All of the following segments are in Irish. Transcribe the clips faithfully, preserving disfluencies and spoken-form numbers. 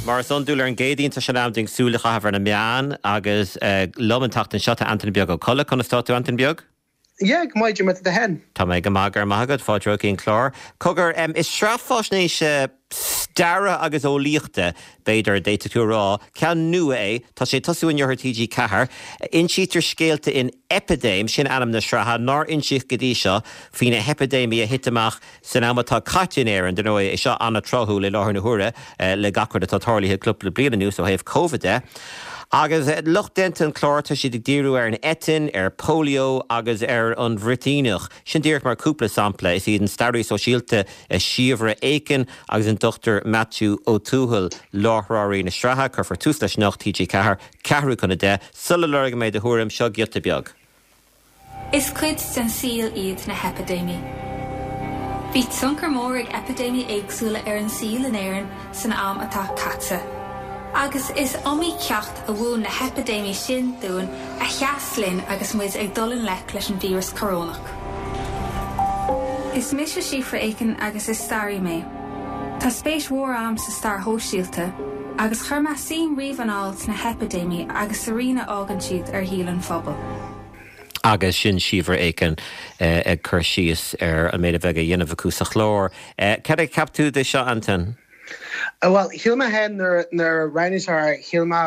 Mar is iondúil ar an gCéadaoin tá sé in am dúinn súil a chaitheamh ar na meáin agus liom an tseachtain seo tá Antain Beag Ó Colla conas tá tú Antain Beag? Yeah, go maith tú féin. Tá mé go maith go maith agat fáilte chuig an clár. Cogar um, is sraith faisnéise staire agus eolaíochta b'fhéidir d'fhéadfadh tú rá ceann nua é tá sé ag tosú inniu ar TG Ceathair, insítear scéalta in Eipidéim sin ainm na sraithe nár insíodh go dtí seo faoi na heipidéimí a thit amach san am atá caite in Éirinn dar ndóigh é seo an-tráthúil i láthair na huaire le gach rud atá tarlaithe cúpla bliain anuas ó thaobh COVID de. Agus lucht déanta an chláir tá siad ag díriú ar an eitinn, ar polio agus ar an bhruitíneach. Sin díreach mar cúpla sampla is iad an staraí sóisialta Síobhra Aiken agus an Dr Matthew Ó Tuathail láithreoirí na sraithe cuirfear tús leis anocht TG Ceathair ceathrú chun a deich sula lorgfaidh mé do thuairim seo giota beag. Is cuid den saol iad na heipidéimí. Bhí tionchar mór ag eipidéimí éagsúla ar an saol in Éirinn san am atá caite. Agus is iomaí ceacht a mhúin na heipidéimí sin dúinn a sheas linn agus muid ag dul i ngleic leis an víreas corónach. Is mise Síobhra Aiken agus is staraí mé. Tá spéis mhór agam sa stair shóisialta, agus chuir mé suim riamh anall sna heipidéimí agus sa rian a fhágann siad ar shaol an phobail. Agus sin Síobhra Aiken ag cur síos ar an méid a bheidh á dhéanamh acu sa chlár. Cad a cheap tú de seo Antain? Well shíl mé féin nuair roghnaítear shíl mé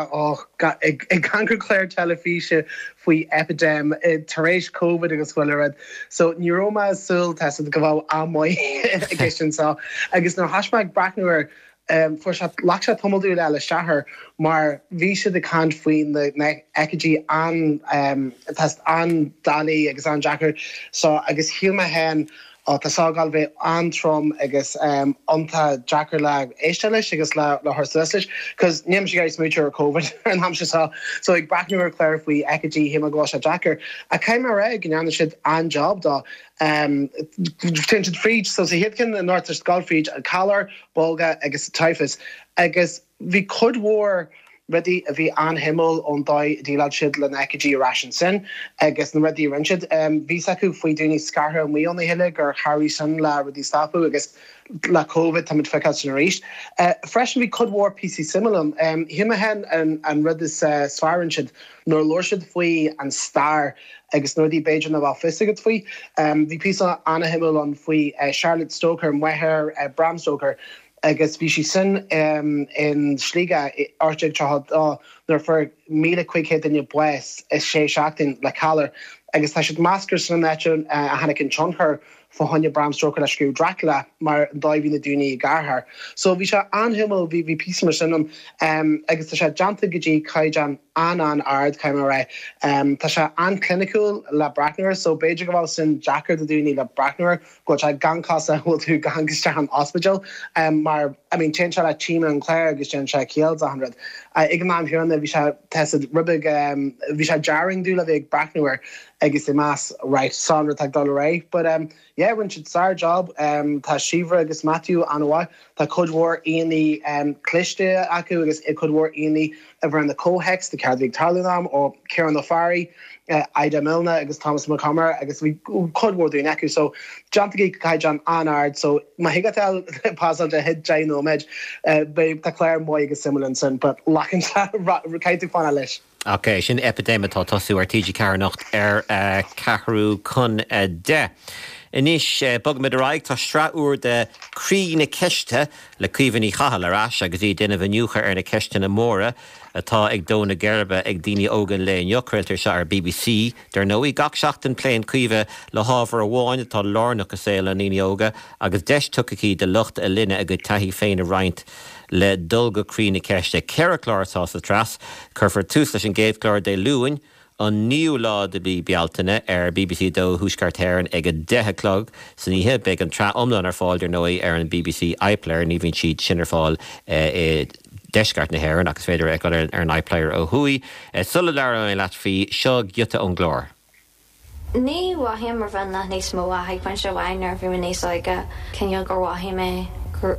ag amharc ar chlár teilifíse faoi eipidéim tar éis COVID agus chuile rud. So ní raibh mé súil go bheadh an-mhaith i gceist anseo agus nuair thosaigh mé ag breathnú air um, fuair sé leag sé tamall dúil eile isteach mar bhí siad ag caint faoi na haicídí an um, an-doiligh agus an-deacair so agus shíl mé féin ó tá sé ag gabháil bheith an-trom agus um, iontach deacair le éisteacht leis agus le le thuar leis, cos níl sé smaoineamh ar COVID an am seo so ag breathnú ar chlár faoi aicídí shíl mé go sé deacair. A caiim ré go ndearna siad an-job dó um, siad fríd so sa chéad cheann anocht gabháil fríd an calar, bolga agus typhus agus bhí cuid mhór rudaí a bhí an-shuimiúil ón dóigh a dhéileáil siad le haicídí ar ais sin agus na rudaí rinne siad um, bhí acu faoi daoine scartha amuigh óna chéile gur chabhraigh sin le rudaí stopadh agus le COVID tá feiceáil sin arís. Uh, freisin bhí cuid mhór píosaí suimiúla um, shíl mé féin an, an rud is uh, fearr siad nuair labhair siad faoi an stair agus nuair b'fhéidir nach bhfuil fios agat faoi. Um, bhí píosa an-shuimiúil ann faoi uh, Charlotte Stoker máthair uh, Bram Stoker agus bhí sí sin um, in Sligeach ocht tríocha nuair fuair míle cúig chéad duine bás i sé seachtain le calar agus tá siad meascar san net uh, a tháinig an tionchar fá choinne Bram Stoker le scríobh Dracula mar dóigh na daoine garthar. So bhí sé an-shuimiúil bhí bhí píosa mar sin um, agus tá sé déanta go dtí caighdeán an an-ard caiim ré. Um, tá sé an-chliniciúil le breathnú air, so b'fhéidir go bhfuil sin deacair do daoine le breathnú air go sé gan cás a bhfuil tú gan isteach an ospidéal um, mar I mean téann sé le téama an chláir agus déanann sé ciall an rud. Uh, ag an am céanna bhí sé te ribig um, bhí sé jarring dú le bheith ag breathnú air agus i más right san ag dul ré, but um, yeah, rinne siad sár-job um, tá Síobhra agus Matthew an-mhaith tá cuid mhór aíonna um, cliste acu agus i cuid mhór aíonna a bhfuil na comhthéacs de cad ag tarlú am ó Ciarán Ó Fearraigh, uh, Ida Milne agus Thomas Mac Con Ádhaimh agus bhí cuid mhór daoine acu so déanta go caighdeán an-ard so má thig leat pasáil de hit deich nóiméad uh, beidh tá clár maith agus suimiúil ansin, but lachan caithfidh fanacht leis. Ok, sin Eipidéim atá ag tosú ar TG Ceathair anocht ar uh, ceathrú chun uh, deich. Anois uh, bogfaimid ar aghaidh tá sraith úr de Croí na Ceiste le Caoimhe Ní Chathail ar ais agus í ag déanamh iniúchadh ar na ceisteanna móra atá ag dó na geirbe ag daoine óga an lae inniu craoltar seo ar BBC. Dar ndóigh gach seachtain pléann Caoimhe le hábhar amháin atá lárnach i saol na ndaoine óga agus deis tugtha aici do lucht a linne a gcuid taithí féin a roinnt le dul go croí na ceiste. Ceithre chlár atá sa tsraith, cuirfear tús leis an gcéad chlár Dé Luain, an naoú lá de mhí Bealtaine ar BBC dó Thuaisceart Éireann ag a deich a chlog san oíche beidh an tsraith iomlán ar fáil dar ndóigh ar an BBC iPlayer ní bhíonn siad sin ar fáil i deisceart na hÉireann agus féidir ag ar an iPlayer ó thuaidh. Sula labhróidh leat faoi seo giota ón gclár. Ní mhothaím mar bheith nach níos mó a ag pointe amháin nuair bhí mé níos óige cineál gur mhothaigh mé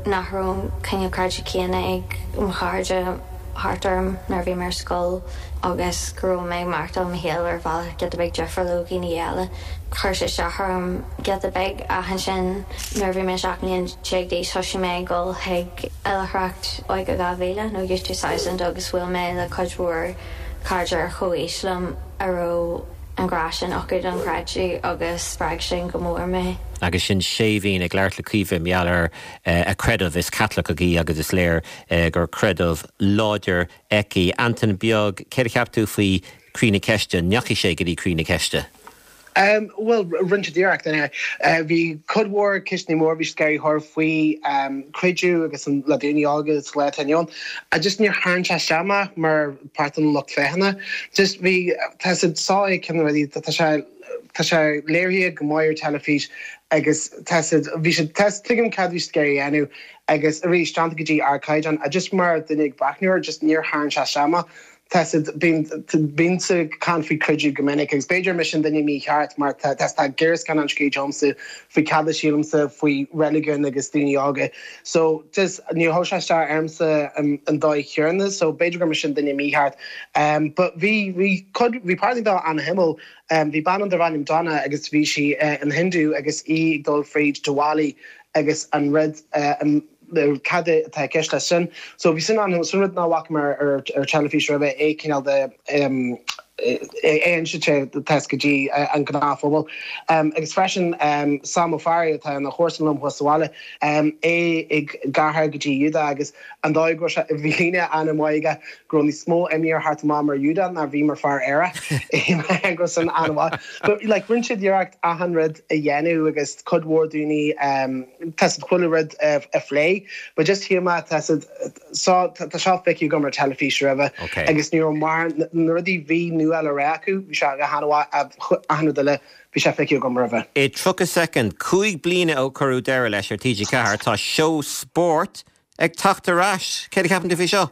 nach raibh cineál cairde céanna ag mo chairde thart orm nuair bhí mé ar scoil agus go raibh mé ag maireachtáil mo shaol ar bhealach giota beag difriúil ó dhaoine eile. Chuir sé isteach orm giota beag ach ansin nuair bhí mé seacht mbliana déag d'aois thosaigh mé ag dul chuig oilithreacht Óige dhá mhíle nó Youth Two Thousand agus bhuail mé le cuid mhór cairde ar chomhaois liom a raibh an grá sin acu don chreideamh agus spreag sin go mór mé. Agus sin Séimhín ag labhairt le Caoimhe mar gheall ar a creideamh is Caitliceach í agus is léir gur creideamh láidir aici. Antain Beag, céard a cheap tú faoi Croí na Ceiste, ndeachaigh sé go dtí Croí na Ceiste? Um, well rinne siad iarracht anyway. Uh, bhí cuid mhór ceisteanna mór bhí scary horror faoi um, creideamh agus an le daoine agus le ann. A just níor tharraing sé isteach mé mar páirt an lucht féachana. Just bhí tá sá cin rudaí tá sé tá sé léirithe go maith ar teilifís agus tá bhí sé tuigim cad bhí scary anu agus arís teanta go dtí ardchaighdeán a just mar duine ag breathnú air just níor tharraing sé isteach mé. Tá bíonn caint faoi creideamh go minic agus b'fhéidir mise an duine mícheart mar tá tá géarscan an scéomsa faoi cad a sílimse faoi reiligiún agus daoine óga. So just ní thó sé armsa an dóigh chéanna, so b'fhéidir gur mise an duine mícheart. Um, but bhí bhí bhí páirtí dá an-shuimiúil um, bhí bean darb ainm Donna agus bhí sí uh, an Hindu agus í ag dul fríd Diwali agus an rud uh, an cad atá ceist leis sin. So bhí sin an sin rud nach bhfaca mar ar ar teilifís roimhe é cineál de um, é sé test go dtí an gnáthphobal. Um, agus freisin um, Sam O'Farry atá ina chomharsan liom thuas sa bhaile um, é ag garthar go dtí Iúda agus an dóigh go bhí líne an-mhaith go raibh níos mó imní thart amach mar Iúda ná bhí mar fear Éire go san an-mhaith. But like rinne siad iarracht achan rud a dhéanamh agus cuid mhór daoine um, tá chuile rud a, a phlé, but just shíl mé tá tá seo feicthe agam ar teilifís roimhe agus ní mar na rudaí bhí nua le rá acu bhí sé go han-mhaith achan rud eile bhí sé feicthe agam roimhe. I tríocha soicind cúig bliana ó cuireadh deireadh leis ar TG Ceathair tá seó spóirt ag teacht ar ais. Céard a cheapann tú faoi seo?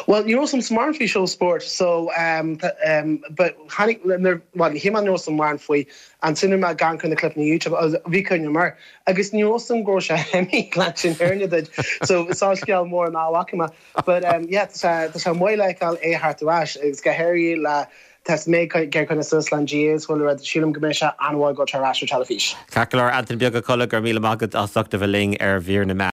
Well, ní raibh smart faoi seó spóirt, so um, um, but tháinig well, hí an raibh mar faoi an sinú me gan chun na clip na YouTube bhí chuine mar agus ní raibh go sé hemi le sin airne so sá scéal mór ná bhfaca but um, yeah, tá sé maith le feiceáil é thart ar ais agus go háirithe le Tes mé ger chuna sus lan Gs bhfuil rud sílim go mbeidh sé an-mhaith go tar ais ar teilifís. Ceart go leor Antain Beag Colla gur míle maith agat as ucht a bheith linn ar mhír na meán.